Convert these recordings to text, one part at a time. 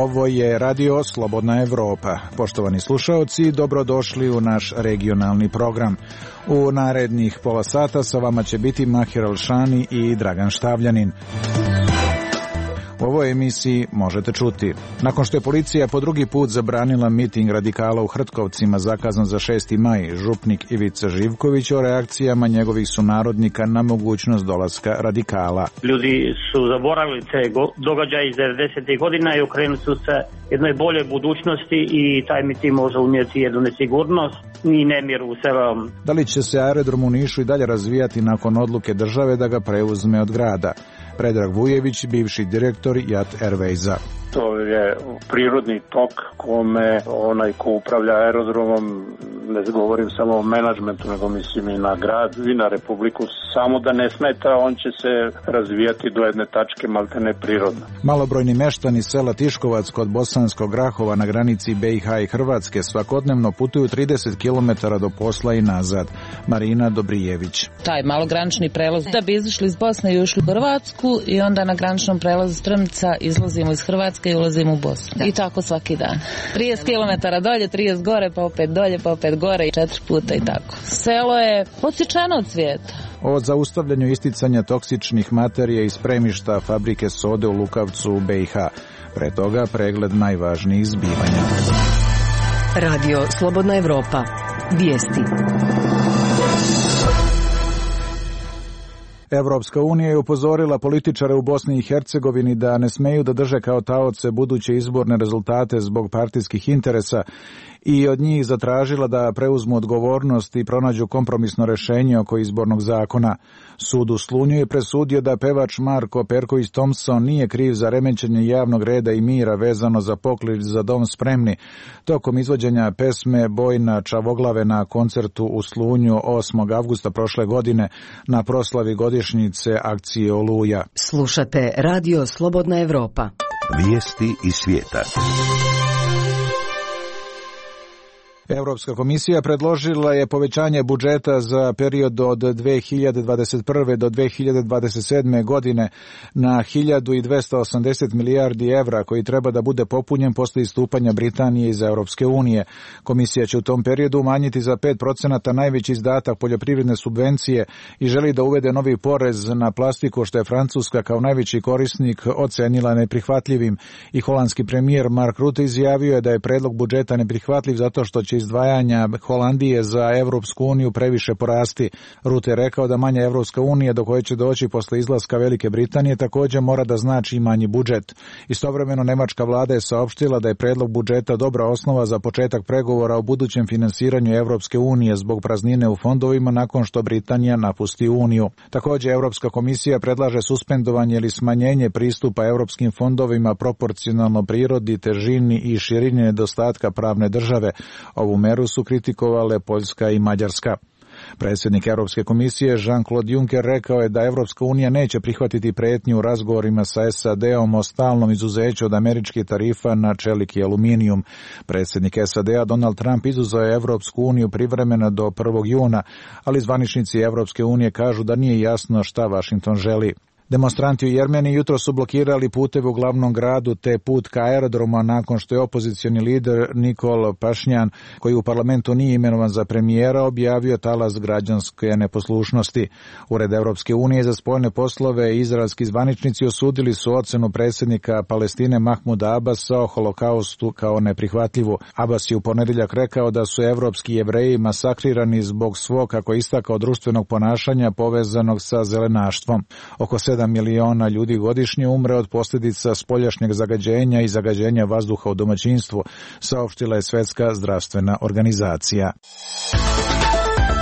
Ovo je Radio Slobodna Evropa. Poštovani slušaoci, dobrodošli u naš regionalni program. U narednih pola sata sa vama će biti Mahir Alšani i Dragan Štavljanin. U ovoj emisiji možete čuti. Nakon što je policija po drugi put zabranila miting radikala u Hrtkovcima zakazan za 6. maj, župnik Ivica Živković o reakcijama njegovih sunarodnika na mogućnost dolaska radikala. Ljudi su zaboravili te događaje iz 90. godina i okrenuli su se jednoj bolje budućnosti i taj miting može unijeti jednu nesigurnost i nemir u selu. Da li će se aerodrom u Nišu i dalje razvijati nakon odluke države da ga preuzme od grada? Predrag Vujević, bivši direktor JAT Airwaysa. To je prirodni tok kome onaj ko upravlja aerodromom, ne govorim samo o menadžmentu, nego mislim i na grad i na republiku, samo da ne smeta, on će se razvijati do jedne tačke maltene prirodno. Malobrojni meštani sela Tiškovac kod Bosanskog Grahova na granici BiH i Hrvatske svakodnevno putuju 30 km do posla i nazad. Marina Dobrijević. Taj malogranični prelaz da bi izašli iz Bosne i ušli u Hrvatsku i onda na graničnom prelazu Strmica izlazimo iz Hrvatske i ulazimo u Bosnu. I tako svaki dan. 30 km dolje, 30 gore, pa opet dolje, pa opet gore i 4 puta i tako. Selo je odsječeno od svijeta. O zaustavljanju isticanja toksičnih materija iz spremišta fabrike sode u Lukavcu u BiH. Pre toga pregled najvažnijih zbivanja. Radio Slobodna Evropa. Vijesti. Evropska unija je upozorila političare u Bosni i Hercegovini da ne smeju da drže kao taoce buduće izborne rezultate zbog partijskih interesa i od njih zatražila da preuzmu odgovornost i pronađu kompromisno rešenje oko izbornog zakona. Sud u Slunju je presudio da pevač Marko Perković Thompson nije kriv za remećenje javnog reda i mira vezano za poklič za dom spremni tokom izvođenja pesme Bojna Čavoglave na koncertu u Slunju 8. avgusta prošle godine na proslavi godišnjice akcije Oluja. Slušate Radio Slobodna Evropa. Vijesti iz svijeta. Evropska komisija predložila je povećanje budžeta za period od 2021. do 2027. godine na 1280 milijardi evra koji treba da bude popunjen posle istupanja Britanije iz Europske unije. Komisija će u tom periodu umanjiti za 5% najveći izdatak poljoprivredne subvencije i želi da uvede novi porez na plastiku što je Francuska kao najveći korisnik ocenila neprihvatljivim i holandski premijer Mark Rutte izjavio je da je predlog budžeta neprihvatljiv zato što će izdvajanja Holandije za Evropsku uniju previše porasti. Rutte je rekao da manja Evropska unija do koje će doći posle izlaska Velike Britanije također mora da znači i manji budžet. Istovremeno nemačka vlada je saopštila da je predlog budžeta dobra osnova za početak pregovora o budućem finansiranju Evropske unije zbog praznine u fondovima nakon što Britanija napusti uniju. Također Evropska komisija predlaže suspendovanje ili smanjenje pristupa evropskim fondovima proporcionalno prirodi, težini i širini nedostatka pravne države. Ovu meru su kritikovale Poljska i Mađarska. Predsjednik Europske komisije Jean-Claude Juncker rekao je da Evropska unija neće prihvatiti pretnju u razgovorima sa SAD-om o stalnom izuzeću od američkih tarifa na čelik i aluminijum. Predsjednik SAD-a Donald Trump izuzeo je Evropsku uniju privremeno do 1. juna, ali zvaničnici Evropske unije kažu da nije jasno šta Washington želi. Demonstranti u Jermeniji jutro su blokirali puteve u glavnom gradu te put ka aerodroma nakon što je opozicioni lider Nikol Pašnjan, koji u parlamentu nije imenovan za premijera, objavio talas građanske neposlušnosti. Ured Evropske unije za spoljne poslove i izraelski zvaničnici osudili su ocenu predsjednika Palestine Mahmuda Abasa o holokaustu kao neprihvatljivu. Abas je u ponedjeljak rekao da su evropski Jevreji masakrirani zbog svog, kako je istakao, društvenog ponašanja povezanog sa zelenaštvom. Oko 7 miliona ljudi godišnje umre od posljedica spoljašnjeg zagađenja i zagađenja vazduha u domaćinstvu, saopštila je Svjetska zdravstvena organizacija.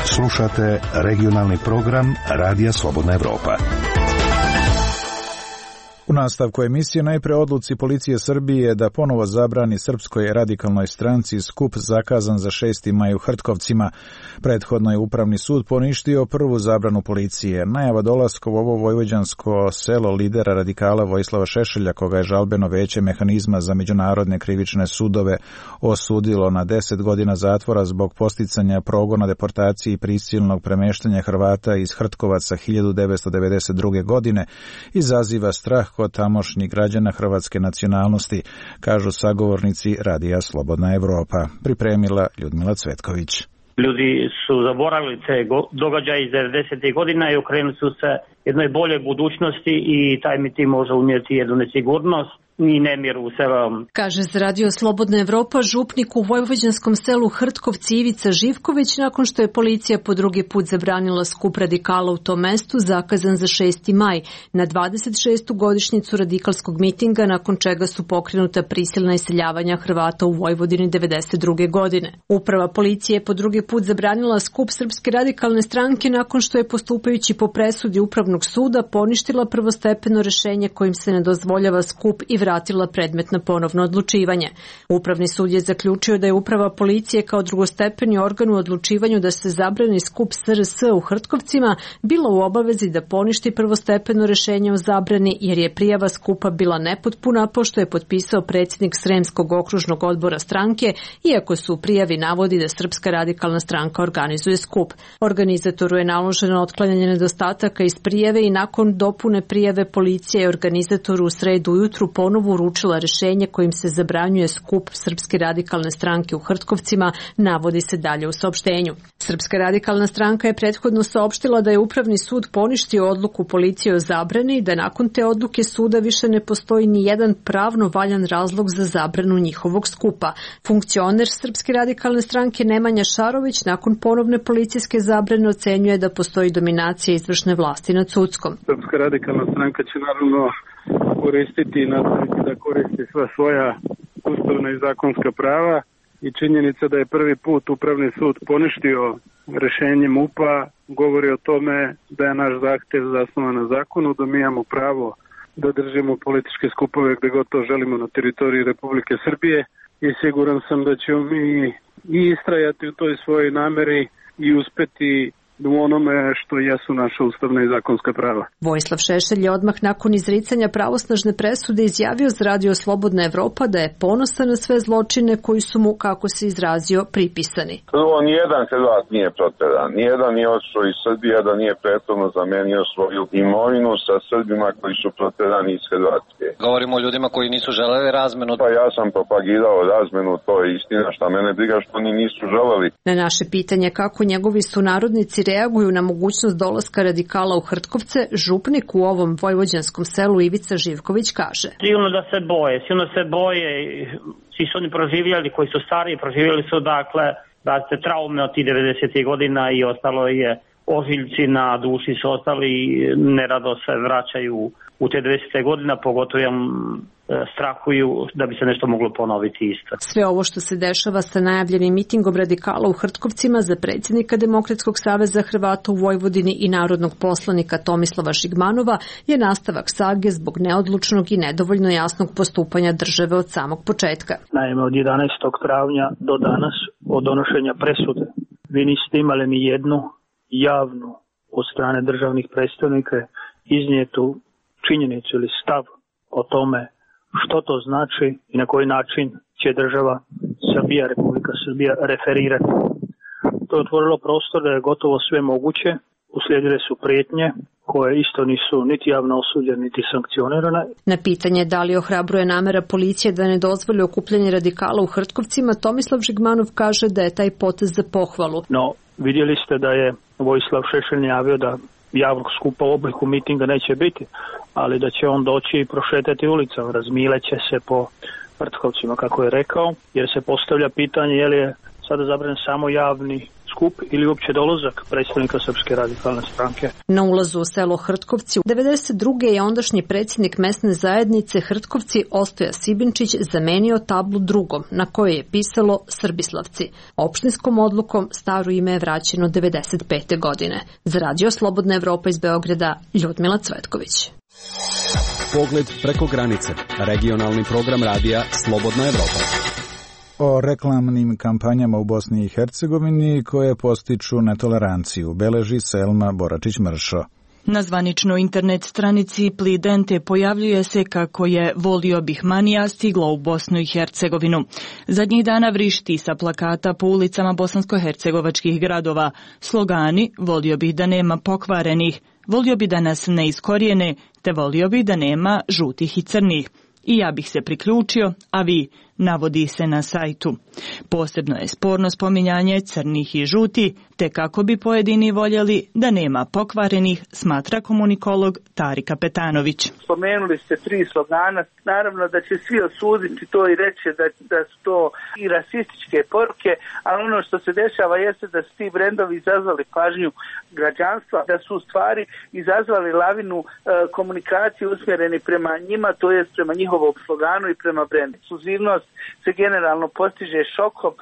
Slušate regionalni program Radija Slobodna Evropa. U nastavku emisije najpre odluci policije Srbije da ponovo zabrani Srpskoj radikalnoj stranci skup zakazan za 6. maj u Hrtkovcima. Prethodno je Upravni sud poništio prvu zabranu policije. Najava dolaska u ovo vojvođansko selo lidera radikala Vojislava Šešelja, koga je žalbeno veće mehanizma za međunarodne krivične sudove osudilo na 10 godina zatvora zbog posticanja progona, deportacije i prisilnog premeštanja Hrvata iz Hrtkovaca 1992. godine, izaziva strah kod tamošnjih građana hrvatske nacionalnosti, kažu sagovornici Radija Slobodna Evropa. Pripremila Ljudmila Cvetković. Ljudi su zaboravili te događaje iz 90. godina i okrenuli su se jednoj boljoj budućnosti i taj mi ti može unijeti jednu nesigurnost i nemir u selu. Kaže za Radio Slobodna Evropa župnik u vojvođanskom selu Hrtkovci Ivica Živković nakon što je policija po drugi put zabranila skup radikala u tom mestu zakazan za 6. maj na 26. godišnjicu radikalskog mitinga nakon čega su pokrenuta prisilna iseljavanja Hrvata u Vojvodini 92. godine. Uprava policije je po drugi put zabranila skup Srpske radikalne stranke nakon što je postupajući po presudi Upravnog suda poništila prvostepeno rešenje kojim se ne dozvoljava skup i vratila predmet na ponovno odlučivanje. Upravni sud je zaključio da je uprava policije kao drugostepeni organ u odlučivanju da se zabrani skup SRS u Hrtkovcima bila u obavezi da poništi prvostepeno rešenje o zabrani jer je prijava skupa bila nepotpuna pošto je potpisao predsjednik Sremskog okružnog odbora stranke, iako su u prijavi navodi da Srpska radikalna stranka organizuje skup. Organizatoru je naloženo otklanjanje nedostataka iz prijave i nakon dopune prijave policija je organizatoru u sredu ujutru ponovo uručila rešenje kojim se zabranjuje skup Srpske radikalne stranke u Hrtkovcima, navodi se dalje u saopštenju. Srpska radikalna stranka je prethodno saopštila da je Upravni sud poništio odluku policije o zabrani i da nakon te odluke suda više ne postoji ni jedan pravno valjan razlog za zabranu njihovog skupa. Funkcioner Srpske radikalne stranke Nemanja Šarović nakon ponovne policijske zabrane ocenjuje da postoji dominacija izvršne vlasti nad sudskom. Srpska radikalna stranka će naravno koristiti i nastaviti da koristi sva svoja ustavna i zakonska prava i činjenica da je prvi put Upravni sud poništio rešenje MUP-a govori o tome da je naš zahtev zasnovan na zakonu, da mi imamo pravo da držimo političke skupove gde god to želimo na teritoriji Republike Srbije i siguran sam da ćemo mi i istrajati u toj svojoj nameri i uspeti u onome što jesu naša ustavna i zakonska prava. Vojislav Šešelj je odmah nakon izricanja pravosnažne presude izjavio za Radio Slobodna Evropa da je ponosan na sve zločine koji su mu, kako se izrazio, pripisani. Prvo, nijedan Hrvat nije proteran, nijedan nije otišao iz Srbije da nije prethodno zamenio svoju imovinu sa Srbima koji su proterani iz Hrvatske. Govorimo o ljudima koji nisu želeli razmenu. Pa ja sam propagirao razmenu, to je istina, šta mene briga što oni nisu želeli. Na naše pitanje kako njegovi sunarodnici reaguju na mogućnost dolaska radikala u Hrtkovce, župnik u ovom vojvođanskom selu Ivica Živković kaže. Sigurno da se boje, svi su oni proživjeli, koji su stariji, proživjeli su dakle traume od tih 90. godina i ostalo je ožiljci na duši su ostali i nerado se vraćaju u te 90. godina, pogotovo strahuju da bi se nešto moglo ponoviti isto. Sve ovo što se dešava sa najavljenim mitingom radikala u Hrtkovcima za predsjednika Demokratskog saveza Hrvata u Vojvodini i narodnog poslanika Tomislava Žigmanova je nastavak sage zbog neodlučnog i nedovoljno jasnog postupanja države od samog početka. Naime, od 11. travnja do danas, od donošenja presude, vi niste imali ni jednu javnu od strane državnih predstavnika iznijetu činjenicu ili stav o tome što to znači i na koji način će država Srbija, Republika Srbija referirati. To je otvorilo prostor da je gotovo sve moguće, uslijedile su prijetnje koje isto nisu niti javno osuđene, niti sankcionirane. Na pitanje da li ohrabruje namera policije da ne dozvoli okupljanje radikala u Hrtkovcima, Tomislav Žigmanov kaže da je taj potez za pohvalu. No, vidjeli ste da je Vojislav Šešelj najavio da javnog skupa u obliku mitinga neće biti, ali da će on doći i prošetati ulicama, razmileće se po Hrtkovcima, kako je rekao, jer se postavlja pitanje je li je sada zabranjen samo javni skup ili uopće dolazak predstavnika Srpske radikalne stranke. Na ulazu u selo Hrtkovci 92. je ondašnji predsjednik mesne zajednice Hrtkovci Ostoja Sibinčić zamenio tablu drugom na kojoj je pisalo Srbislavci. Opštinskom odlukom staro ime je vraćeno 95. godine. Za Radio Slobodna Evropa iz Beograda, Ljudmila Cvetković. Pogled preko granice. Regionalni program radija Slobodna Evropa. O reklamnim kampanjama u Bosni i Hercegovini koje postiču netoleranciju, beleži Selma Boračić-Mršo. Na zvaničnoj internet stranici Plidente pojavljuje se kako je Volio bih manija stiglo u Bosnu i Hercegovinu. Zadnjih dana vrišti sa plakata po ulicama bosansko-hercegovačkih gradova. Slogani Volio bih da nema pokvarenih, volio bi da nas ne iskorijene, te volio bi da nema žutih i crnih. I ja bih se priključio, a vi, navodi se na sajtu. Posebno je sporno spominjanje crnih i žuti, te kako bi pojedini voljeli da nema pokvarenih, smatra komunikolog Tari Kapetanović. Spomenuli ste 3 slogana, naravno da će svi osuditi to i reći da su to i rasističke poruke, ali ono što se dešava jeste da su ti brendovi izazvali pažnju građanstva, da su u stvari izazvali lavinu komunikacije usmjereni prema njima, to jest prema njihovom sloganu i prema brendu. Ekskluzivnost se generalno postiže šokom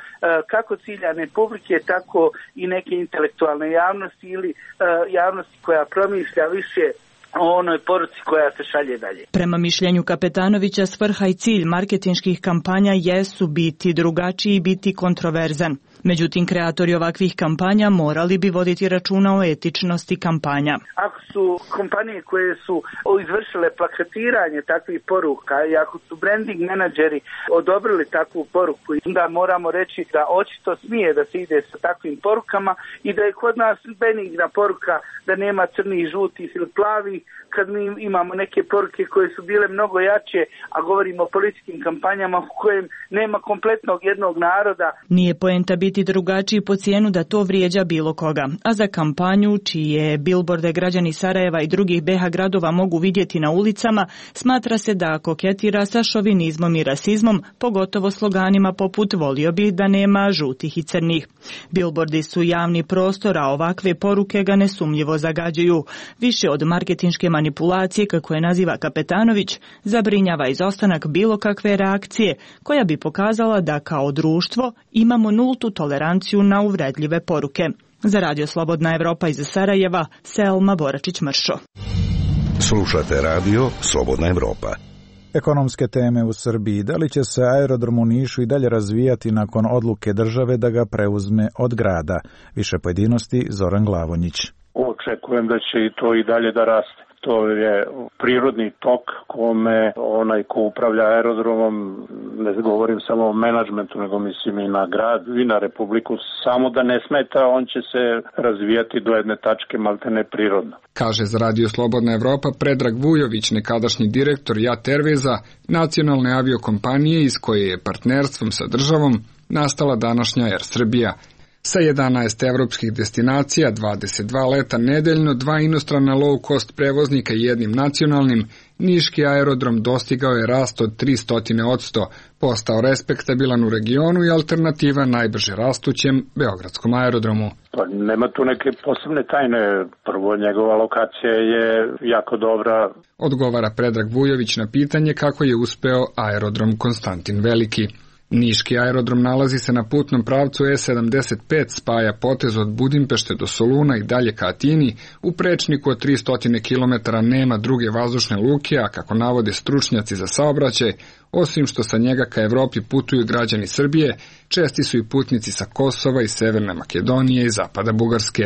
kako ciljane publike, tako i neke intelektualne javnosti ili javnosti koja promišlja više o onoj poruci koja se šalje dalje. Prema mišljenju Kapetanovića, svrha i cilj marketinških kampanja jesu biti drugačiji i biti kontroverzan. Međutim, kreatori ovakvih kampanja morali bi voditi računa o etičnosti kampanja. Ako su kompanije koje su izvršile plakatiranje takvih poruka i ako su branding menadžeri odobrili takvu poruku, onda moramo reći da očito smije da se ide sa takvim porukama i da je kod nas benigna poruka da nema crnih, žutih ili plavih, kad mi imamo neke poruke koje su bile mnogo jače, a govorimo o političkim kampanjama u kojem nema kompletnog jednog naroda. Nije poenta biti drugačiji po cijenu da to vrijeđa bilo koga, a za kampanju čije bilborde građani Sarajeva i drugih BiH gradova mogu vidjeti na ulicama, smatra se da koketira sa šovinizmom i rasizmom, pogotovo sloganima poput volio bi da nema žutih i crnih. Bilbordi su javni prostor, a ovakve poruke ga nesumnjivo zagađuju. Više od marketinške manipulacije, kako je naziva Kapetanović, zabrinjava izostanak bilo kakve reakcije koja bi pokazala da kao društvo imamo nultu toleranciju na uvredljive poruke. Za Radio Slobodna Evropa iz Sarajeva, Selma Boračić-Mršo. Slušate Radio Slobodna Evropa. Ekonomske teme u Srbiji. Da li će se aerodrom u Nišu i dalje razvijati nakon odluke države da ga preuzme od grada? Više pojedinosti Zoran Glavonjić. Očekujem da će i to i dalje da raste. To je prirodni tok kome onaj ko upravlja aerodromom, ne govorim samo o menadžmentu, nego mislim i na grad i na Republiku, samo da ne smeta, on će se razvijati do jedne tačke maltene prirodno. Kaže za Radio Slobodna Evropa Predrag Vujović, nekadašnji direktor JAT Airwaysa, nacionalne aviokompanije iz koje je partnerstvom sa državom nastala današnja Air Srbija. Sa 11 evropskih destinacija, 22 leta nedeljno, 2 inostrana low-cost prevoznika i jednim nacionalnim, niški aerodrom dostigao je rast od 300%, postao respektabilan u regionu i alternativa najbrže rastućem beogradskom aerodromu. Pa nema tu neke posebne tajne. Prvo, njegova lokacija je jako dobra. Odgovara Predrag Vujović na pitanje kako je uspeo aerodrom Konstantin Veliki. Niški aerodrom nalazi se na putnom pravcu E75, spaja potez od Budimpešte do Soluna i dalje ka Atini. U prečniku od 300 km nema druge vazdušne luke, a kako navode stručnjaci za saobraćaj, osim što sa njega ka Evropi putuju građani Srbije, česti su i putnici sa Kosova i Severne Makedonije i zapada Bugarske.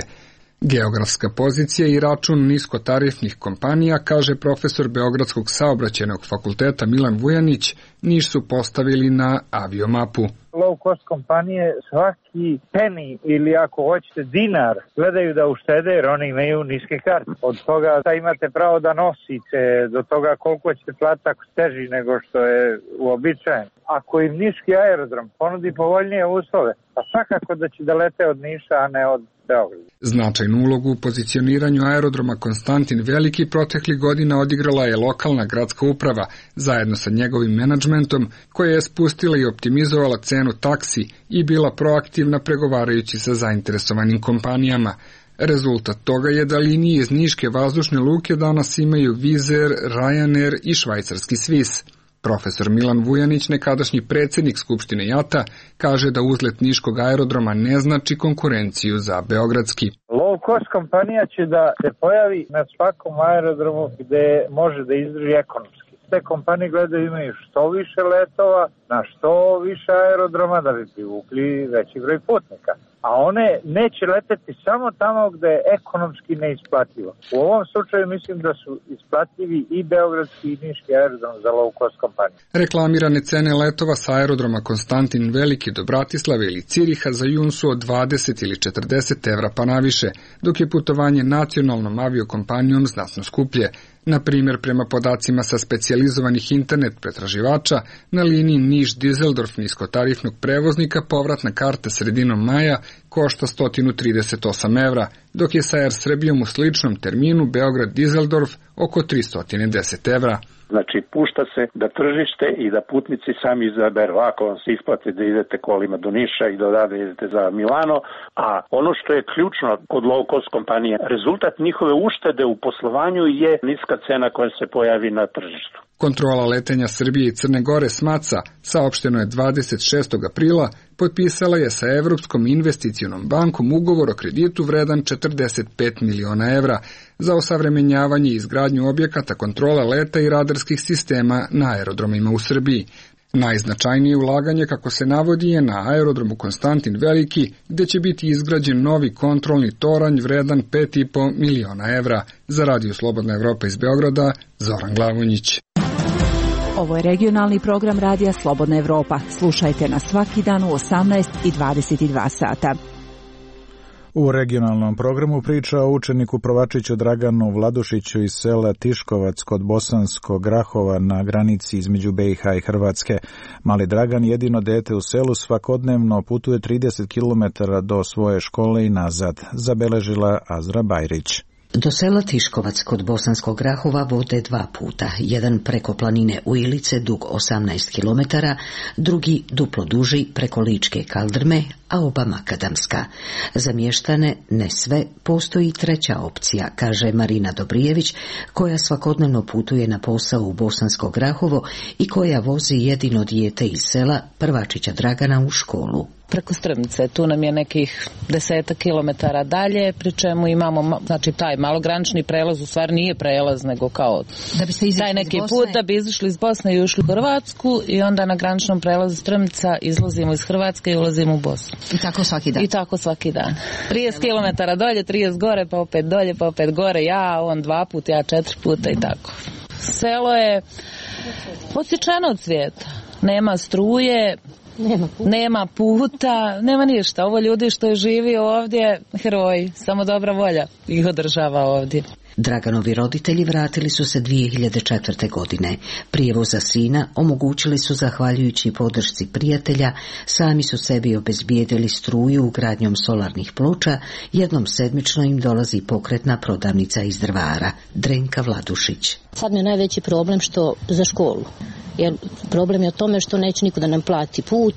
Geografska pozicija i račun niskotarifnih kompanija, kaže profesor Beogradskog saobraćajnog fakulteta Milan Vujanić, Niš su postavili na aviomapu. Low cost kompanije svaki penny ili ako hoćete dinar gledaju da uštede jer oni imaju niske karte. Od toga da imate pravo da nosite, do toga koliko ćete platiti ako teži nego što je uobičajeno. Ako im niški aerodrom ponudi povoljnije uslove, pa svakako da će da lete od Niša, a ne od Beograda. Značajnu ulogu u pozicioniranju aerodroma Konstantin Veliki proteklih godina odigrala je lokalna gradska uprava, zajedno sa njegovim menadžmentom, koja je spustila i optimizovala cenu taksi i bila proaktivna pregovarajući sa zainteresovanim kompanijama. Rezultat toga je da linije iz niške vazdušne luke danas imaju Wizz Air, Ryanair i švajcarski Swiss. Profesor Milan Vujanić, nekadašnji predsjednik Skupštine JAT-a, kaže da uzlet niškog aerodroma ne znači konkurenciju za beogradski. Low cost kompanija će da se pojavi na svakom aerodromu gde može da izdrži ekonomski. Te kompanije gledaju imaju što više letova, na što više aerodroma da bi privukli veći broj putnika. a one neće leteti samo tamo gde je ekonomski neisplativo. U ovom slučaju mislim da su isplativi i beogradski i niški aerodrom za low cost kompaniju. Reklamirane cene letova sa aerodroma Konstantin Veliki do Bratislave ili Ciriha za jun su od 20 ili 40 evra pa naviše, dok je putovanje nacionalnom aviokompanijom znatno skuplje. Na primjer, prema podacima sa specijalizovanih internet pretraživača, na liniji Niš-Dizeldorf niskotarifnog prevoznika povratna karta sredinom maja košta 138 evra, dok je sa Air Srbijom u sličnom terminu Beograd-Dizeldorf oko 310 evra. Znači, pušta se da tržište i da putnici sami izaberu. Ako vam se isplati da idete kolima do Niša i do odavde idete za Milano, a ono što je ključno kod low cost kompanije, rezultat njihove uštede u poslovanju je niska cena koja se pojavi na tržištu. Kontrola letenja Srbije i Crne Gore s Maca, saopšteno je 26. aprila, potpisala je sa Evropskom investicionom bankom ugovor o kreditu vredan 45 miliona evra za osavremenjavanje i izgradnju objekata kontrole leta i radarskih sistema na aerodromima u Srbiji. Najznačajnije ulaganje, kako se navodi, je na aerodromu Konstantin Veliki, gde će biti izgrađen novi kontrolni toranj vredan 5,5 miliona evra. Za Radio Slobodna Evropa iz Beograda, Zoran Glavonjić. Ovo je regionalni program Radija Slobodna Evropa. Slušajte nas svaki dan u 18 i 22 sata. U regionalnom programu priča o učeniku prvačiću Draganu Vladušiću iz sela Tiškovac kod Bosanskog Grahova na granici između BiH i Hrvatske. Mali Dragan, jedino dete u selu, svakodnevno putuje 30 km do svoje škole i nazad, zabeležila Azra Bajrić. Do sela Tiškovac kod Bosanskog Grahova vode dva puta, jedan preko planine Ujilice dug 18 km, drugi duplo duži preko Ličke Kaldrme, a oba makadamska. Za mještane, ne sve, postoji treća opcija, kaže Marina Dobrijević, koja svakodnevno putuje na posao u Bosansko Grahovo i koja vozi jedino dijete iz sela prvačića Dragana u školu. Preko Strmce, tu nam je nekih 10 kilometara dalje, pri čemu imamo, znači taj malogranični prelaz, u stvari nije prelaz, nego kao da bi se taj neki put da bi izašli iz Bosne i ušli u Hrvatsku i onda na graničnom prelazu Strmca izlazimo iz Hrvatske i ulazimo u Bosnu. I tako svaki dan? I tako svaki dan. 30 kilometara dolje, 30 gore, pa opet dolje, pa opet gore, ja, on 2 puta, ja 4 puta i tako. Selo je odsječeno od svijeta, nema struje, nema puta, nema ništa. Ovo ljudi što je živi ovdje, heroji, samo dobra volja ih održava ovdje. Draganovi roditelji vratili su se 2004. godine. Prijevoz za sina omogućili su zahvaljujući podršci prijatelja, sami su sebi obezbijedili struju ugradnjom solarnih ploča, jednom sedmično im dolazi pokretna prodavnica iz Drvara. Drenka Vladušić. Sad mi je najveći problem što za školu. Jer problem je o tome što neće niko da nam plati put,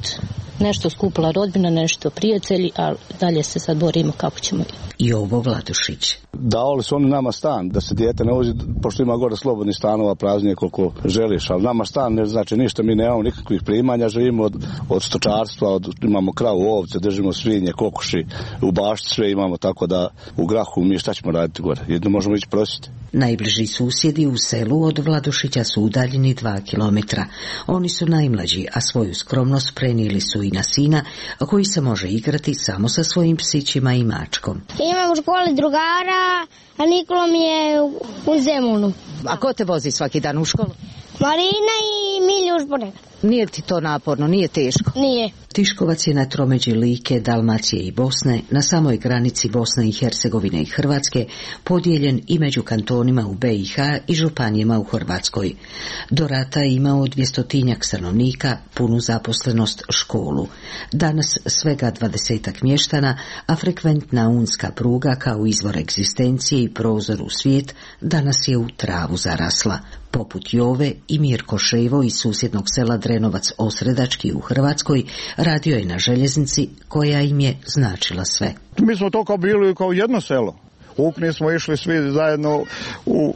nešto skupila rodbina, nešto prijatelji, a dalje se sad borimo kako ćemo. Jovo Vladušić. Davali su oni nama stan, da se dijete ne vozi, pošto ima gore slobodnih stanova, praznije koliko želiš, ali nama stan ne znači ništa, mi nemamo nikakvih primanja, živimo od stočarstva, imamo kravu, ovce, držimo svinje, kokoši, u bašti sve imamo, tako da u Grahu mi šta ćemo raditi gore, jedno možemo ići prositi. Najbliži susjedi u selu od Vladušića su udaljeni 2 kilometra. Oni su najmlađi, a svoju skromnost prenijeli su i na sina, koji se može igrati samo sa svojim psićima i mačkom. Imam u školi drugara, a Nikola mi je u Zemunu. A ko te vozi svaki dan u školu? Marina i Miljuš ponekad. Nije ti to naporno, nije teško? Nije. Tiškovac je na tromeđi Like, Dalmacije i Bosne, na samoj granici Bosne i Hercegovine i Hrvatske, podijeljen i među kantonima u BiH i županijama u Hrvatskoj. Do rata je imao 200-tinjak stanovnika, punu zaposlenost, školu. Danas svega 20-ak mještana, a frekventna unska pruga kao izvor egzistencije i prozor u svijet danas je u travu zarasla. Poput Jove i Mirko Ševo iz susjednog sela Drenovac Osredački u Hrvatskoj radio je na željeznici koja im je značila sve. Mi smo to kao bili kao jedno selo. ukupni smo išli svi zajedno u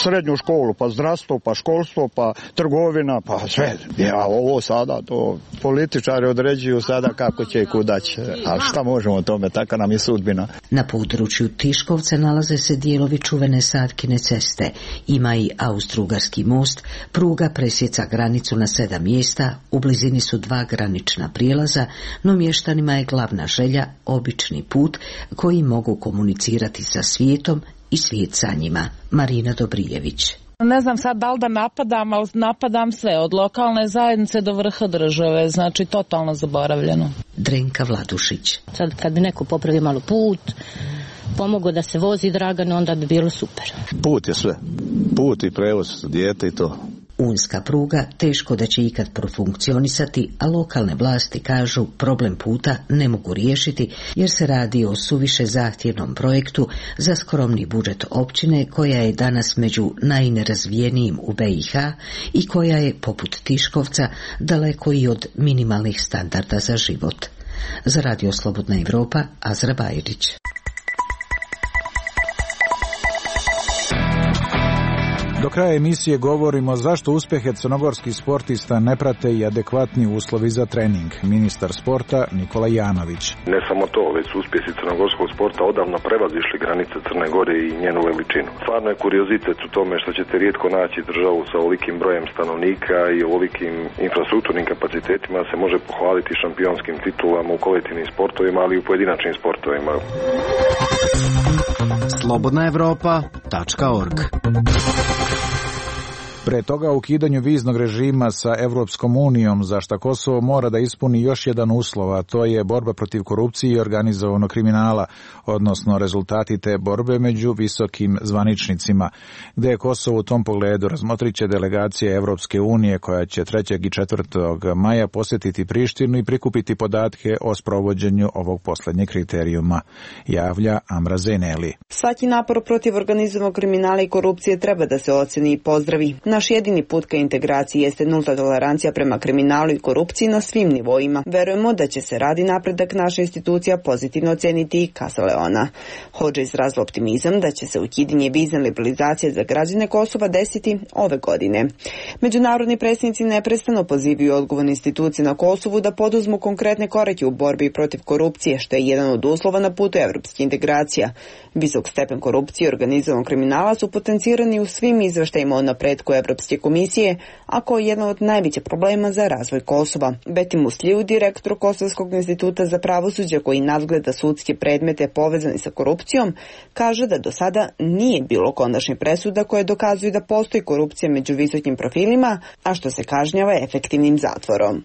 srednju školu, pa zdravstvo, pa školstvo, pa trgovina, pa sve. Ja, ovo sada, to političari određuju sada kako će i kuda će. A šta možemo o tome, taka nam je sudbina. Na području Tiškovca nalaze se dijelovi čuvene Satkine ceste. Ima i Austro-Ugarski most, pruga presjeca granicu na 7 mjesta, u blizini su 2 granična prijelaza, no mještanima je glavna želja obični put koji mogu komunicirati sa svijetom i svijet sa njima. Marina Dobrijević. Ne znam sad da li da napadam, ali napadam sve, od lokalne zajednice do vrha države, znači totalno zaboravljeno. Drenka Vladušić. Sad kad bi neko popravio malo put, pomogao da se vozi Dragan, onda bi bilo super. Put je sve. Put i prevoz, dijete i to. Unska pruga teško da će ikad profunkcionisati, a lokalne vlasti kažu problem puta ne mogu riješiti jer se radi o suviše zahtjevnom projektu za skromni budžet općine koja je danas među najnerazvijenijim u BiH i koja je, poput Tiškovca, daleko i od minimalnih standarda za život. Za Radio Slobodna Evropa, Azra Bajrić. Do kraja emisije govorimo zašto uspjehe crnogorskih sportista ne prate i adekvatni uslovi za trening. Ministar sporta Nikola Janović. Ne samo to, već su uspjesi crnogorskog sporta odavno prevazišli granice Crne Gore i njenu veličinu. Stvarno je kuriozitet u tome što ćete rijetko naći državu sa ovolikim brojem stanovnika i ovolikim infrastrukturnim kapacitetima se može pohvaliti šampionskim titulama u kolektivnim sportovima, ali i u pojedinačnim sportovima. slobodnaevropa.org. Pre toga o ukidanju viznog režima sa Evropskom unijom, za šta Kosovo mora da ispuni još jedan uslov, a to je borba protiv korupcije i organizovanog kriminala, odnosno rezultati te borbe među visokim zvaničnicima. Gde je Kosovo u tom pogledu, razmotrit će delegacija Evropske unije koja će 3. i 4. maja posjetiti Prištinu i prikupiti podatke o sprovođenju ovog posljednjeg kriterijuma, javlja Amra Zeneli. Svaki napor protiv organizovanog kriminala i korupcije treba da se oceni i pozdravi. Naš jedini put ka integraciji jeste nulta tolerancija prema kriminalu i korupciji na svim nivoima. Verujemo da će se radi napredak naša institucija pozitivno oceniti, kazala je ona. Hodža izrazila optimizam da će se ukidanje vizne liberalizacije za građane Kosova desiti ove godine. Međunarodni predstavnici neprestano pozivaju odgovorne institucije na Kosovu da poduzmu konkretne korake u borbi protiv korupcije, što je jedan od uslova na putu evropske integracija. Visok stepen korupcije i organizovanog kriminala su potencirani u svim izveštajima o napretku Evropske komisije, a koji je jedan od najvećih problema za razvoj Kosova. Beti Musliju, direktor Kosovskog instituta za pravosuđe koji nadgleda sudske predmete povezane sa korupcijom, kaže da do sada nije bilo konačnih presuda koje dokazuju da postoji korupcija među visokim profilima, a što se kažnjava efektivnim zatvorom.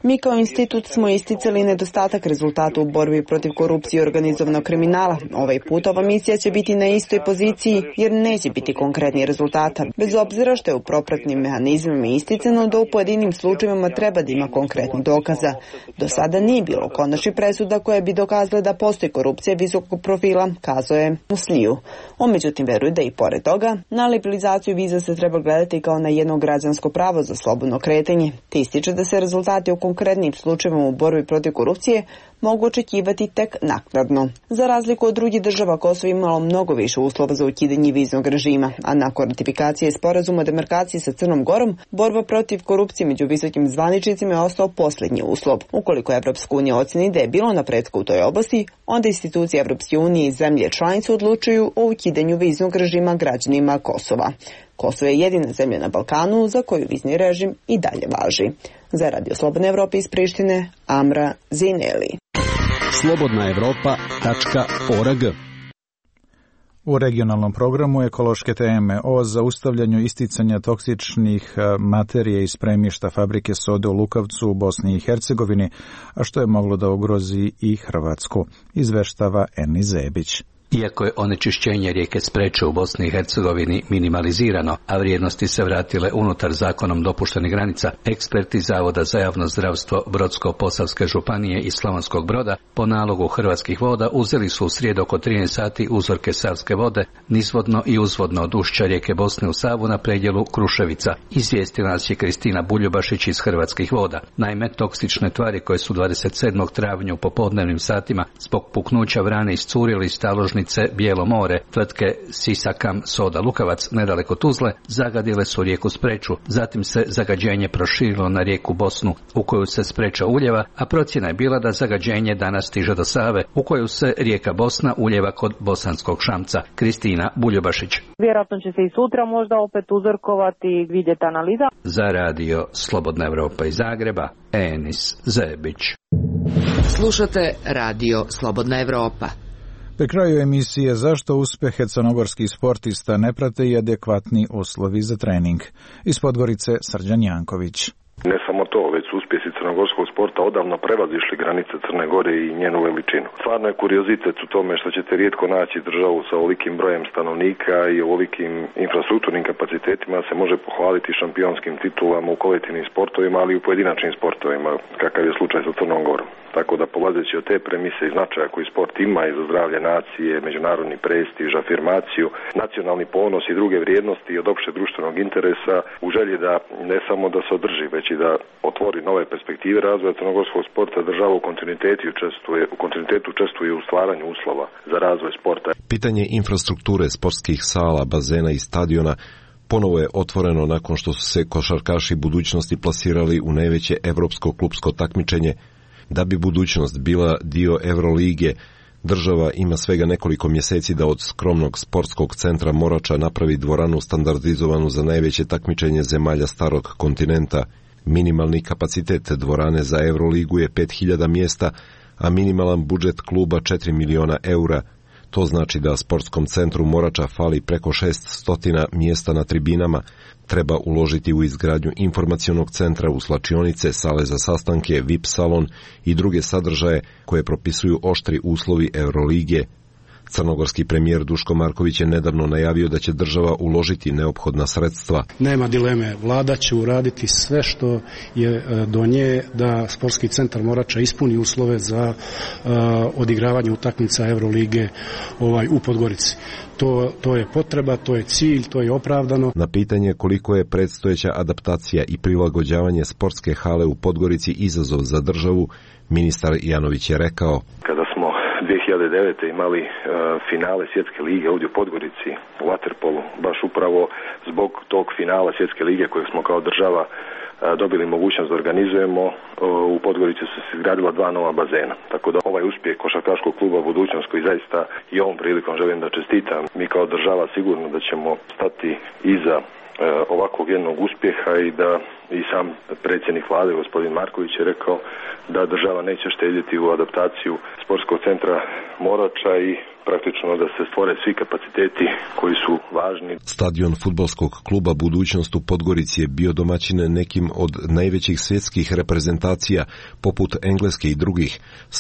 Mi kao institut smo isticali nedostatak rezultata u borbi protiv korupcije i organizovanog kriminala. Ovaj put ova misija će biti na istoj poziciji jer neće biti konkretnih rezultata, bez obzira što je u propratnim mehanizmima isticano da u pojedinim slučajevima treba da ima konkretnih dokaza. Do sada nije bilo konačnih presuda koje bi dokazale da postoji korupcija visokog profila, kazao je Musliju. On međutim veruje da i pored toga na liberalizaciju viza se treba gledati kao na jedno građansko pravo za slobodno kretanje, te ističe da se rezultati u konkretnim slučajevima u borbi protiv korupcije mogu očekivati tek naknadno. Za razliku od drugih država, Kosovo imalo mnogo više uslova za ukidanje viznog režima, a nakon ratifikacije sporazuma o demarkaciji sa Crnom Gorom, borba protiv korupcije među visokim zvaničnicima je ostao posljednji uslov. Ukoliko Evropska unija oceni da je bilo napretka u toj oblasti, onda institucije Evropske unije i zemlje članice odlučuju o ukidanju viznog režima građanima Kosova. Kosovo je jedina zemlja na Balkanu za koju vizni režim i dalje važi. Za Radio Slobodne Evrope iz Prištine, Amra Zineli. slobodnaevropa.org. U regionalnom programu ekološke teme o zaustavljanju isticanja toksičnih materija iz spremišta fabrike sode u Lukavcu u Bosni i Hercegovini, a što je moglo da ugrozi i Hrvatsku, izveštava Eni Zebić. Iako je onečišćenje rijeke Spreče u Bosni i Hercegovini minimalizirano, a vrijednosti se vratile unutar zakonom dopuštenih granica, eksperti Zavoda za javno zdravstvo Brodsko-Posavske županije i Slavonskog Broda po nalogu Hrvatskih voda uzeli su u srijedu oko 13 sati uzorke savske vode nizvodno i uzvodno od ušća rijeke Bosne u Savu na predjelu Kruševica. Izvijestila nas je Kristina Buljubašić iz Hrvatskih voda. Naime, toksične tvari koje su 27. travnja u popodnevnim satima zbog puknuća vrane iscurili iz taložnice Bijelo more tvrtke Sisakam Soda Lukavac nedaleko Tuzle zagadile su rijeku Spreču. Zatim se zagađenje proširilo na rijeku Bosnu u koju se Spreča uljeva, a procjena je bila da zagađenje danas stiže do Save u koju se rijeka Bosna uljeva kod Bosanskog Šamca. Kristina Buljubašić. Vjerojatno će se i sutra možda opet uzorkovati i vidjeti analiza. Za radio Slobodna Evropa iz Zagreba, Enis Zebić. Slušate radio Slobodna Evropa. Pri kraju emisije zašto uspjehe crnogorskih sportista ne prate i adekvatni uslovi za trening. Iz Podgorice Srđan Janković. Ne samo to, već su uspjesi crnogorskog sporta odavno prevazišli granice Crne Gore i njenu veličinu. Stvarno je kuriozitet u tome što ćete rijetko naći državu sa ovolikim brojem stanovnika i ovolikim infrastrukturnim kapacitetima se može pohvaliti šampionskim titulama u kolektivnim sportovima, ali i u pojedinačnim sportovima, kakav je slučaj sa Crnom Gorom. Tako da polazeći od te premise i značaja koji sport ima i za zdravlje nacije, međunarodni prestiž, afirmaciju, nacionalni ponos i druge vrijednosti od opšte društvenog interesa, u želji da ne samo da se održi, već i da otvori nove perspektive razvoja crnogorskog sporta, država u kontinuitetu učestvuje u stvaranju uslova za razvoj sporta. Pitanje infrastrukture sportskih sala, bazena i stadiona ponovo je otvoreno nakon što su se košarkaši budućnosti plasirali u najveće evropsko klupsko takmičenje. Da bi budućnost bila dio Eurolige, država ima svega nekoliko mjeseci da od skromnog sportskog centra Morača napravi dvoranu standardizovanu za najveće takmičenje zemalja starog kontinenta. Minimalni kapacitet dvorane za Euroligu je 5000 mjesta, a minimalan budžet kluba 4 miliona eura. To znači da sportskom centru Morača fali preko 600 mjesta na tribinama. Treba uložiti u izgradnju informacionog centra, u slačionice, sale za sastanke, VIP salon i druge sadržaje koje propisuju oštri uslovi Eurolige. Crnogorski premijer Duško Marković je nedavno najavio da će država uložiti neophodna sredstva. Nema dileme, vlada će uraditi sve što je do nje da sportski centar Morača ispuni uslove za odigravanje utakmica Eurolige u Podgorici. To je potreba, to je cilj, to je opravdano. Na pitanje koliko je predstojeća adaptacija i prilagođavanje sportske hale u Podgorici izazov za državu, ministar Janović je rekao: Kada smo 2009. imali finale Svjetske lige ovdje u Podgorici u vaterpolu, baš upravo zbog tog finala Svjetske lige kojeg smo kao država dobili mogućnost da organizujemo, u Podgorici su se izgradila 2 nova bazena. Tako da ovaj uspjeh košarkaškog kluba Budućnost, koji zaista i ovom prilikom želim da čestitam, mi kao država sigurno da ćemo stati iza ovakvog jednog uspjeha i da i sam predsjednik vlade gospodin Marković je rekao da država neće štedjeti u adaptaciju sportskog centra Morača i praktično da se stvore svi kapaciteti koji su važni. Stadion fudbalskog kluba Budućnost u Podgorici je bio domaćin nekim od najvećih svjetskih reprezentacija poput Engleske i drugih.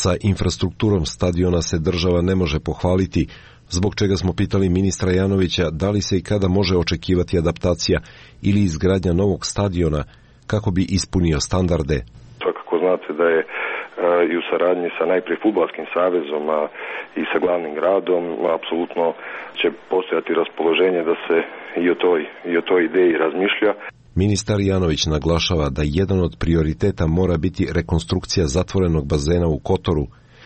Sa infrastrukturom stadiona se država ne može pohvaliti, zbog čega smo pitali ministra Janovića da li se i kada može očekivati adaptacija ili izgradnja novog stadiona kako bi ispunio standarde. Svakako znate da je i u saradnji sa najprije Fudbalskim savezom i sa glavnim gradom apsolutno će postojati raspoloženje da se i o toj ideji razmišlja. Ministar Janović naglašava da jedan od prioriteta mora biti rekonstrukcija zatvorenog bazena u Kotoru.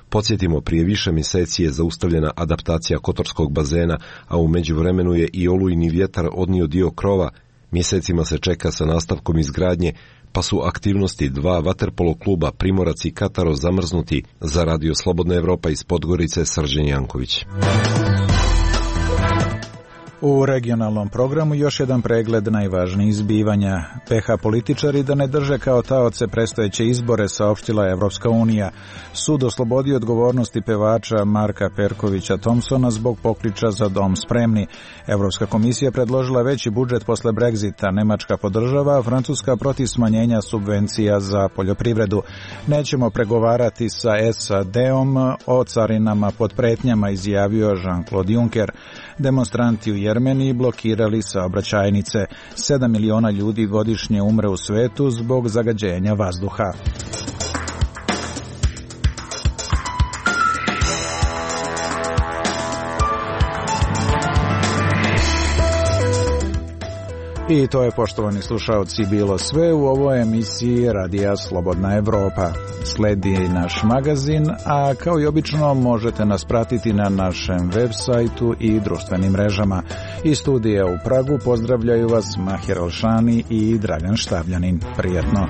Podsjetimo, prije više mjeseci je zaustavljena adaptacija kotorskog bazena, a u međuvremenu je i olujni vjetar odnio dio krova. Mjesecima se čeka sa nastavkom izgradnje, pa su aktivnosti 2 vaterpolo kluba Primorac i Kataro zamrznuti. Za radio Slobodna Evropa iz Podgorice, Srđan Janković. U regionalnom programu još jedan pregled najvažnijih zbivanja. PH političari da ne drže kao taoce predstojeće izbore, saopštila Evropska unija. Sud oslobodio odgovornosti pevača Marka Perkovića Thompsona zbog pokliča za dom spremni. Evropska komisija predložila veći budžet posle Brexita. Nemačka podržava, a Francuska protiv smanjenja subvencija za poljoprivredu. Nećemo pregovarati sa SAD-om o carinama pod pretnjama, izjavio Jean-Claude Juncker. Demonstranti u Jermeniji blokirali saobraćajnice. 7 miliona ljudi godišnje umre u svetu zbog zagađenja vazduha. I to je, poštovani slušaoci, bilo sve u ovoj emisiji Radija Slobodna Evropa. Sledi naš magazin, a kao i obično možete nas pratiti na našem web sajtu i društvenim mrežama. Iz studija u Pragu pozdravljaju vas Mahir Alšani i Dragan Štavljanin. Prijetno!